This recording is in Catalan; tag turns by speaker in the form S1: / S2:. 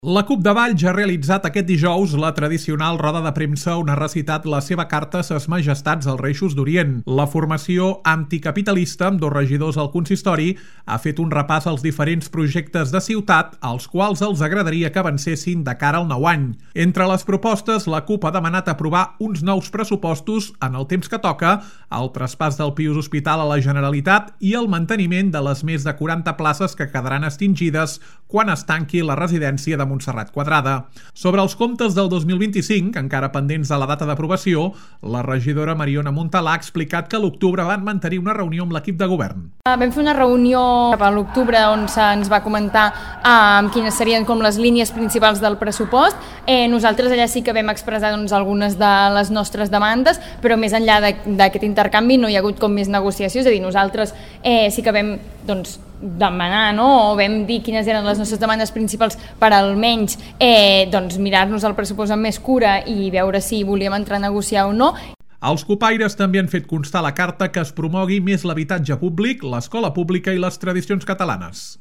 S1: La CUP de Valls ha realitzat aquest dijous la tradicional roda de premsa on ha recitat la seva carta a ses majestats als Reixos d'Orient. La formació anticapitalista, amb 2 regidors al consistori, ha fet un repàs als diferents projectes de ciutat als quals els agradaria que avancessin de cara al nou any. Entre les propostes, la CUP ha demanat aprovar uns nous pressupostos en el temps que toca, el traspàs del Pius Hospital a la Generalitat i el manteniment de les més de 40 places que quedaran extingides quan es tanqui la residència de Montserrat Quadrada. Sobre els comptes del 2025, encara pendents de la data d'aprovació, la regidora Mariona Montalà ha explicat que a l'octubre van mantenir una reunió amb l'equip de govern.
S2: Vam fer una reunió a l'octubre on se'ns va comentar quines serien com les línies principals del pressupost. Nosaltres allà sí que vam expressar algunes de les nostres demandes, però més enllà d'aquest intercanvi no hi ha hagut com més negociació, és a dir, nosaltres sí que vam demanar, o vam dir quines eren les nostres demandes principals per almenys mirar-nos el pressupost amb més cura i veure si volíem entrar a negociar o no.
S1: Els copaires també han fet constar a la carta que es promogui més l'habitatge públic, l'escola pública i les tradicions catalanes.